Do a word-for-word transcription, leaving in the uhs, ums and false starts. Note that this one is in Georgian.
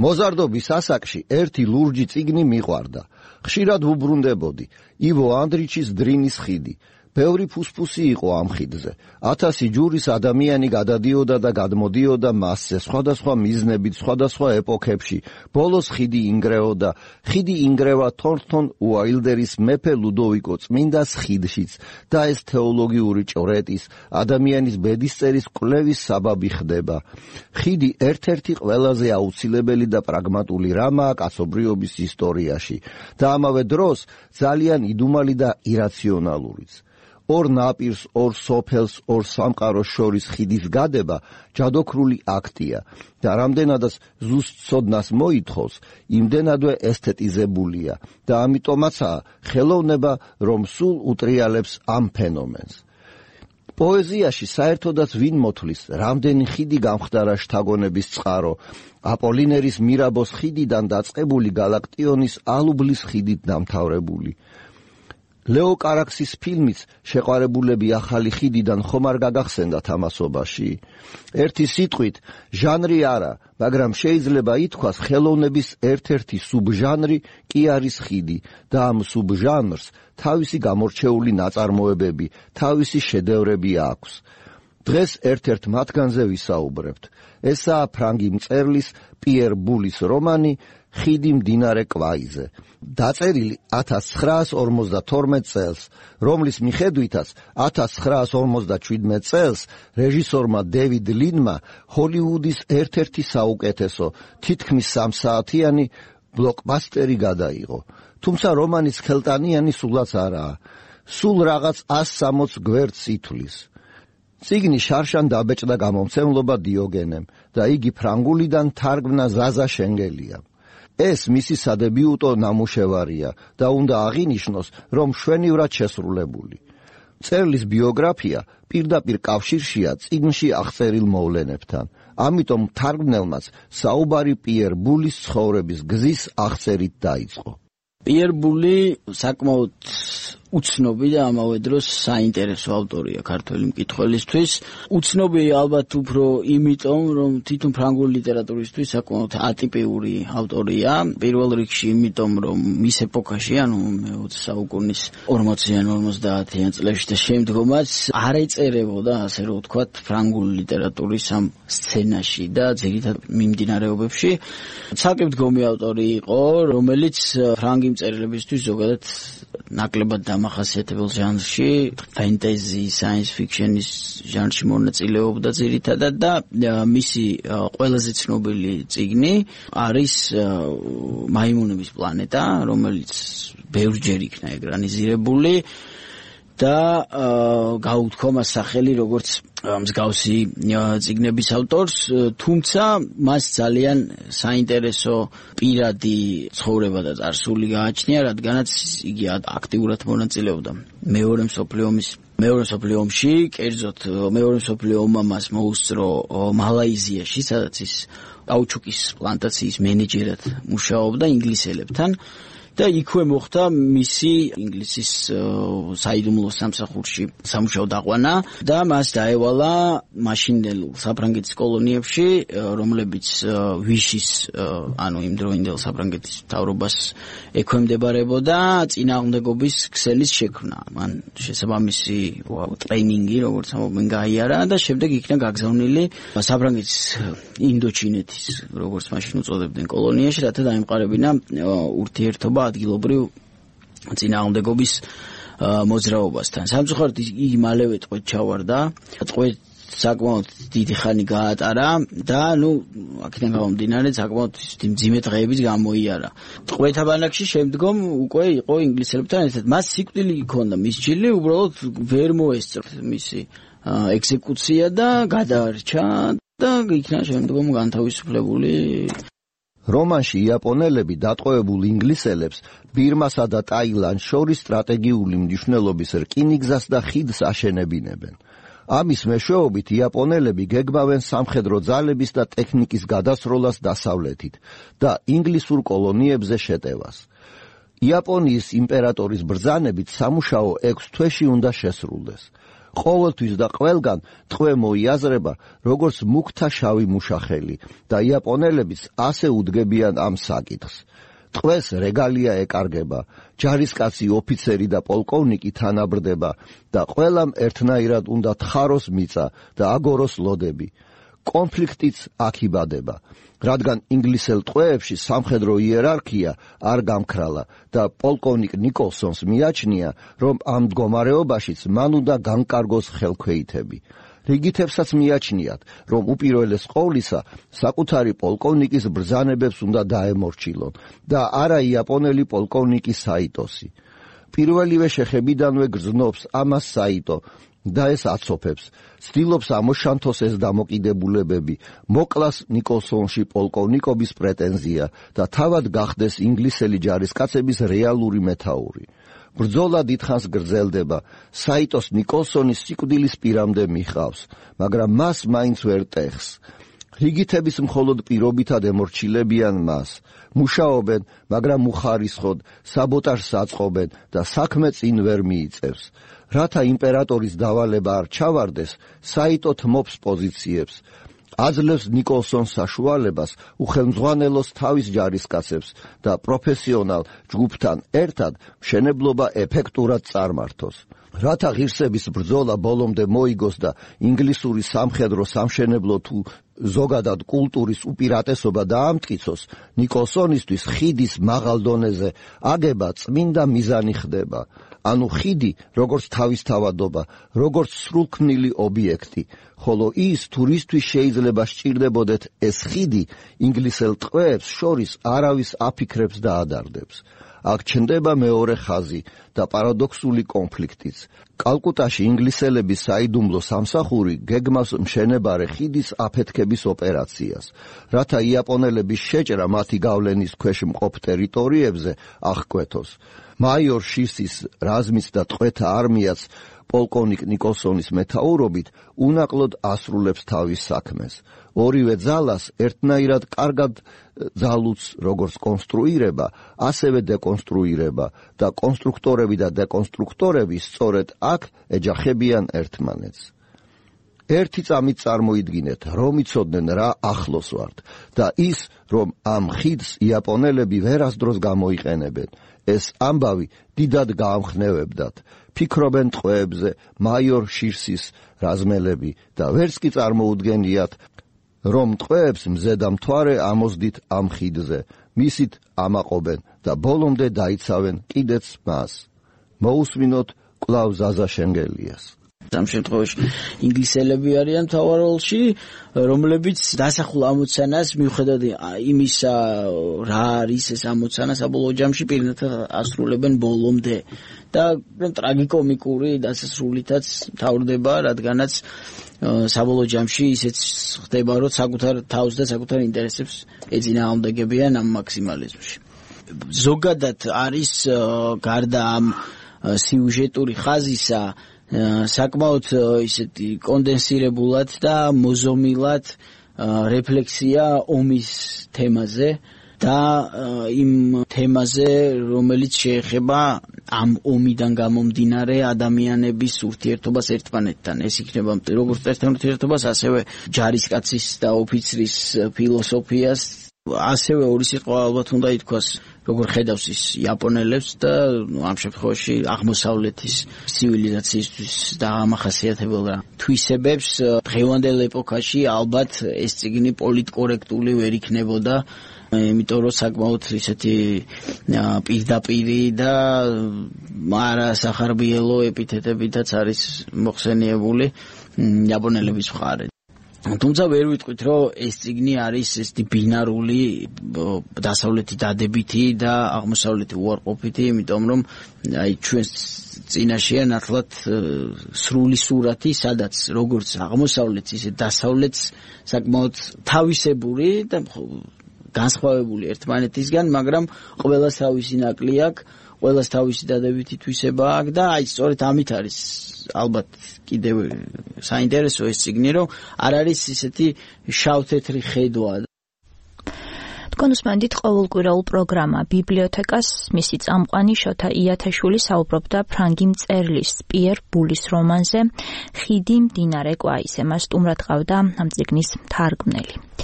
მოზარდობის ასაკში ერთი ლურჯი წიგნი მიყვარდა. ხშირად ვუბრუნდებოდი. ივო ანდრიჩის დრინის ხიდი. ბევრი ფუსფუსი იყო ამ ხიდზე. ათასი ჯურის ადამიანი გადადიოდა და გადმოდიოდა მასზე, სხვადასხვა მიზნებით, სხვადასხვა ეპოქებში. ბოლოს ხიდი ინგრეოდა. ხიდი ინგრევა თორნტონ უაილდერის მეფე ლუდოვიკო წმინდას ხიდშიც და ეს თეოლოგიური ჭვრეტის, ადამიანის ბედისწერის კვლევის საბაბი ხდება. ხიდი ერთ-ერთი ყველაზე აუცილებელი და პრაგმატული რამაა კაცობრიობის ისტორიაში და ამავე დროს ძალიან იდუმალი და ირაციონალურიც. ორ ნაპირს, ორ სოფელს, ორ სამყაროს შორის ხიდის გადება ჯადოქრული აქტია და რამდენადაც ზუსტ ცოდნას მოითხოვს, იმდენადვე ესთეტიზებულია და ამიტომაცაა ხელოვნება, რომ სულ უტრიალებს ამ ფენომენს. პოეზიაში საერთოდაც ვინ მოთვლის, რამდენი ხიდი გამხდარა შთაგონების წყარო, აპოლინერის მირაბოს ხიდიდან დაწყებული გალაქტიონის ალუბლის ხიდით დამთავრებული. ლეო კარაქსის ფილმიც შეყვარებულები ახალი ხიდიდან ხომ არ გაგახსენდა თამასობაში? ერთი სიტყვით, ჟანრი არა, მაგრამ შეიძლება ითქვას ხელოვნების ერთ-ერთი სუბჟანრი კი არის ხიდი და ამ სუბჟანრს თავისი გამორჩეული ნაწარმოებები, თავისი შედევრები აქვს. დღეს ერთ-ერთ მათგანზე ვისაუბრებთ. ესაა ფრანგი მწერლის პიერ ბულის რომანი ხიდი მდინარე კვაიზე. დაწერილი ათას ცხრაას ორმოცდათორმეტ წელს, რომლის მიხედვითაც ათას ცხრაას ორმოცდაჩვიდმეტ წელს რეჟისორმა დევიდ ლინმა ჰოლივუდის ერთ-ერთი საუკეთესო, თითქმის სამსაათიანი ბლოკბასტერი გადაიღო. თუმცა რომანის ხელტანიანი სულაც არაა. სულ რაღაც ას სამოც გვერდს ითვლის. წიგნი შარშან დაბეჭდა გამომცემლობა დიოგენემ და იგი ფრანგულიდან თარგმნა ზაზა შენგელიამ. ეს მისი სადებიუტო ნამუშევარია და უნდა აღინიშნოს, რომ მშვენივრად შესრულებული. მწერლის ბიოგრაფია პირდაპირ კავშირშია წიგნში აღწერილ მოვლენებთან, ამიტომ თარგმნელმაც საუბარი პიერ ბულის ცხოვრების გზის აღწერით დაიწყო. პიერ ბული საკმაოდ უცნობი და ამავე დროს საინტერესო ავტორია ქართველი მკითხველისთვის. უცნობი ალბათ უფრო იმიტომ, რომ თვითონ ფრანგული ლიტერატურისთვის საკმაოდ ატიპიური ავტორია. პირველ რიგში იმიტომ, რომ მის ეპოქაში, ანუ მეოცე საუკუნის ორმოციან ორმოცდაათიან წლებში და შემდგომაც არ ეწერებოდა, ასე რომ ვთქვათ, ფრანგული ლიტერატურის ამ სცენაში და ძირითად მიმდინარეობებში. ცალკე მდგომი ავტორი იყო, რომელიც ფრანგი მწერლებისთვის ზოგადად ნაკლებად დამახასიათებელ ჟანრში, ფენტეზი, საინს ფიქშენის ჟანრში მონაწილეობდა ძირითადად და მისი ყველაზე ცნობილი წიგნი არის მაიმუნების პლანეტა, რომელიც ბევრჯერ იქნა ეკრანიზირებული და გაუთქვა მას სახელი როგორც მსგავსი წიგნების ავტორს, თუმცა მას ძალიან საინტერესო პირადი ცხოვრება და წარსული გააჩნია, რადგანაც იგი აქტიურად მონაწილეობდა მეორე მსოფლიო ომის მეორე მსოფლიო ომში, კერძოდ მეორე მსოფლიო ომმა მას მოუსწრო მალაიზიაში, სადაც ის კაუჩუკის პლანტაციის მენეჯერად მუშაობდა ინგლისელებთან. და იქვე მოხდა მისი ინგლისის საიდუმლო სამსახურში სამუშაო დაყვანა და მას დაევალა მაშინდელ საფრანგეთის კოლონიებში, რომლებიც ვიშის, ანუ იმ დროინდელ საფრანგეთის მთავრობას ექვემდებარებოდა, წინააღმდეგობის ქსელის შექმნა. მან შესაბამისი ტრეინინგი, როგორც ამბობენ, გაიარა და შემდეგ იქნა გაგზავნილი საფრანგეთის ინდოჩინეთის, როგორც მაშინ უწოდებდნენ, კოლონიაში, რათა დაემყარებინა ურთიერთობა ადგილობრივ წინააღმდეგობის მოძრაობასთან. სამწუხაროდ იგი მალევე ტყვედ ჩავარდა, ტყვედ საკმაოდ დიდი ხანი გაატარა და ნუ აქედან გამომდინარე საკმაოდ მძიმე დღეებიც გამოიარა. ტყვეთა ბანაკში შემდგომ უკვე იყო ინგლისელებთან ერთად. მას სიკვდილი ჰქონდა მისჯილი, უბრალოდ ვერ მოესწრო მისი ექსეკუცია და გადაარჩა და იქნა შემდგომ განთავისუფლებული. რომანში იაპონელები დატყვევებულ ინგლისელებს ბირმასა და ტაილანდს შორის სტრატეგიული მნიშვნელობის რკინიგზას და ხიდს აშენებინებენ. ამის მეშვეობით იაპონელები გეგმავენ სამხედრო ძალების და ტექნიკის გადასროლას დასავლეთით და ინგლისურ კოლონიებზე შეტევას. იაპონიის იმპერატორის ბრძანებით სამუშაო ექვს თვეში უნდა შესრულდეს. ყოველთვის და ყველგან ტყვე მოიაზრება როგორც მუქთა შავი მუშახელი და იაპონელებიც ასე უდგებიან ამ საკითხს. ტყვეს რეგალია ეკარგება, ჯარისკაცი ოფიცერი და პოლკოვნიკი თანაბრდება და ყველამ ერთნაირად უნდა თხაროს მიწა და აგოროს ლოდები. კონფლიქტიც აქ იბადება, რადგან ინგლისელ ტყვეებში სამხედრო იერარქია არ გამქრალა და პოლკოვნიკ ნიკოლსონს მიაჩნია, რომ ამ მდგომარეობაშიც მან უნდა განკარგოს ხელქვეითები. რიგითებსაც მიაჩნიათ, რომ უპირველეს ყოვლისა საკუთარი პოლკოვნიკის ბრძანებებს უნდა დაემორჩილონ და არა იაპონელი პოლკოვნიკი საიტოსი. პირველივე შეხებიდანვე გრძნობს ამას საიტო და ეს აცოფებს, ცდილობს ამოშანთოს ეს დამოკიდებულებები, მოკლას ნიკოლსონში პოლკოვნიკობის პრეტენზია და თავად გახდეს ინგლისელი ჯარისკაცების რეალური მეთაური. ბრძოლა დიდხანს გრძელდება, საიტოს ნიკოლსონის სიკვდილის პირამდე მიხავს, მაგრამ მას მაინც ვერ ტეხს. რიგითების მხოლოდ პირობითად ემორჩილებიან მას, მუშაობენ, მაგრამ უხარისხოდ, საბოტაჟს აწყობენ და საქმე წინ ვერ მიიწევს. რათა იმპერატორის დავალება არ ჩავარდეს, საიტო თმობს პოზიციებს. აძლევს ნიკოლსონს საშუალებას უხელმძღვანელოს თავის ჯარისკაცებს და პროფესიონალ ჯგუფთან ერთად მშენებლობა ეფექტურად წარმართოს. რათა ღირსების ბრძოლა ბოლომდე მოიგოს და ინგლისური სამხედრო სამშენებლო თუ ზოგადად კულტურის უპირატესობა დაამტკიცოს, ნიკოლსონისთვის ხიდის მაღალ დონეზე აგება წმინდა მიზანი ხდება. ანუ ხიდი როგორც თავისთავადობა, როგორც სრულქმნილი ობიექტი, ხოლო ის თურისთვის შეიძლება სჭირდებოდეთ ეს ხიდი ინგლისელ ტყვეებს შორის არავის აფიქრებს და ადარდებს. აქ ჩნდება მეორე ხაზი და პარადოქსული კონფლიქტიც. კალკუტაში ინგლისელების საიდუმლო სამსახური გეგმავს მშენებარე ხიდის აფეთქების ოპერაციას, რათა იაპონელების შეჭრა მათი გავლენის ქვეშ მყოფ ტერიტორიებზე აღკვეთოს. მაიორ შირსის რაზმის და ტყვეთა არმიაც პოლკოვნიკ ნიკოლსონის მეთაურობით უნაკლოდ ასრულებს თავის საქმეს. ორივე ძალას ერთნაირად კარგად ძალუც როგორც კონსტრუირება, ასევე დეკონსტრუირება და კონსტრუქტორები და დეკონსტრუქტორები სწორედ აქ ეჯახებიან ერთმანეთს. ერთი წამით წარმოიდგინეთ, რომ იცოდნენ რა ახლოს ვართ და ის, რომ ამ ხიდს იაპონელები ვერასდროს გამოიყენებენ. ეს ამბავი დიდად გაამხნევებდათ. ფიქრობენ ტყვეებზე მაიორ შირსის რაზმელები და ვერც კი წარმოუდგენიათ, რომ ტყვეებს მზედა მთვარე ამოსდით ამ ხიდზე, მისით ამაყობენ და ბოლომდე დაიცავენ კიდეც მას. მოусმინოთ კვლავ ზაზა შენგელიას. ამ შემთხვევაში ინგლისელები არიან მთავარ როლში, რომლებიც დასახულ ამოცანას მიუხედავად იმისა, რა არის ეს ამოცანა საბოლოო ჯამში პირნათლად ასრულებენ ბოლომდე და ტრაგიკომიკური დასასრულითაც მთავრდება, რადგანაც საბოლოო ჯამში ისეც ხდება, რომ საკუთარ თავს და საკუთარ ინტერესებს ეწინააღმდეგებიან ამ მაქსიმალიზმში. ზოგადად არის გარდა ამ სიუჟეტური ხაზისა საკმაოდ ისეთი კონდენსირებულად და მოზომილად რეფლექსია ომის თემაზე და იმ თემაზე, რომელიც შეეხება ამ ომიდან გამომდინარე ადამიანების ურთიერთობას ერთმანეთთან. ეს იქნება როგორც ერთთან ურთიერთობას, ასევე ჯარისკაცის და ოფიცრის ფილოსოფიას, ასევე ორი სიტყვა ალბათ უნდა ითქვას, როგორ ხედავს ის იაპონელებს და ამ შემთხვევაში აღმოსავლეთის ცივილიზაციისთვის დამახასიათებელ თვისებებს. დღევანდელ ეპოქაში ალბათ ეს წიგნი პოლიტკორექტული ვერ იქნებოდა, იმიტომ რომ საკმაოდ ისეთი პირდაპირი და არა სახარბიელო ეპითეტებითაც არის მოხსენიებული იაპონელების მხარე. თუმცა ვერ ვიტყვით, რომ ეს წიგნი არის ესეთი ბინარული დასავლეთი დადებითი და აღმოსავლეთი უარყოფითი, იმიტომ რომ აი ჩვენს წინაშეა ნათლად სრული სურათი, სადაც როგორც აღმოსავლეთს, ისე დასავლეთს საკმაოდ თავისებური და განსხვავებული ერთმანეთისგან, მაგრამ ყველას თავისი ნაკლი აქვს, ყველას თავისი დადებითი თვისება აქვს და აი სწორედ ამით არის ალბათ კიდევ საინტერესო ეს წიგნი, რომ არ არის ისეთი შავ-თეთრი ხედვა. თქვენ უსმენთ ყოველკვირეულ პროგრამა ბიბლიოთეკას, მისი წამყვანი შოთა იათაშვილი საუბრობდა ფრანგი მწერლის პიერ ბულის რომანზე ხიდი მდინარე კვაისე. მას სტუმრად ყავდა ამ წიგნის თარგმნელი.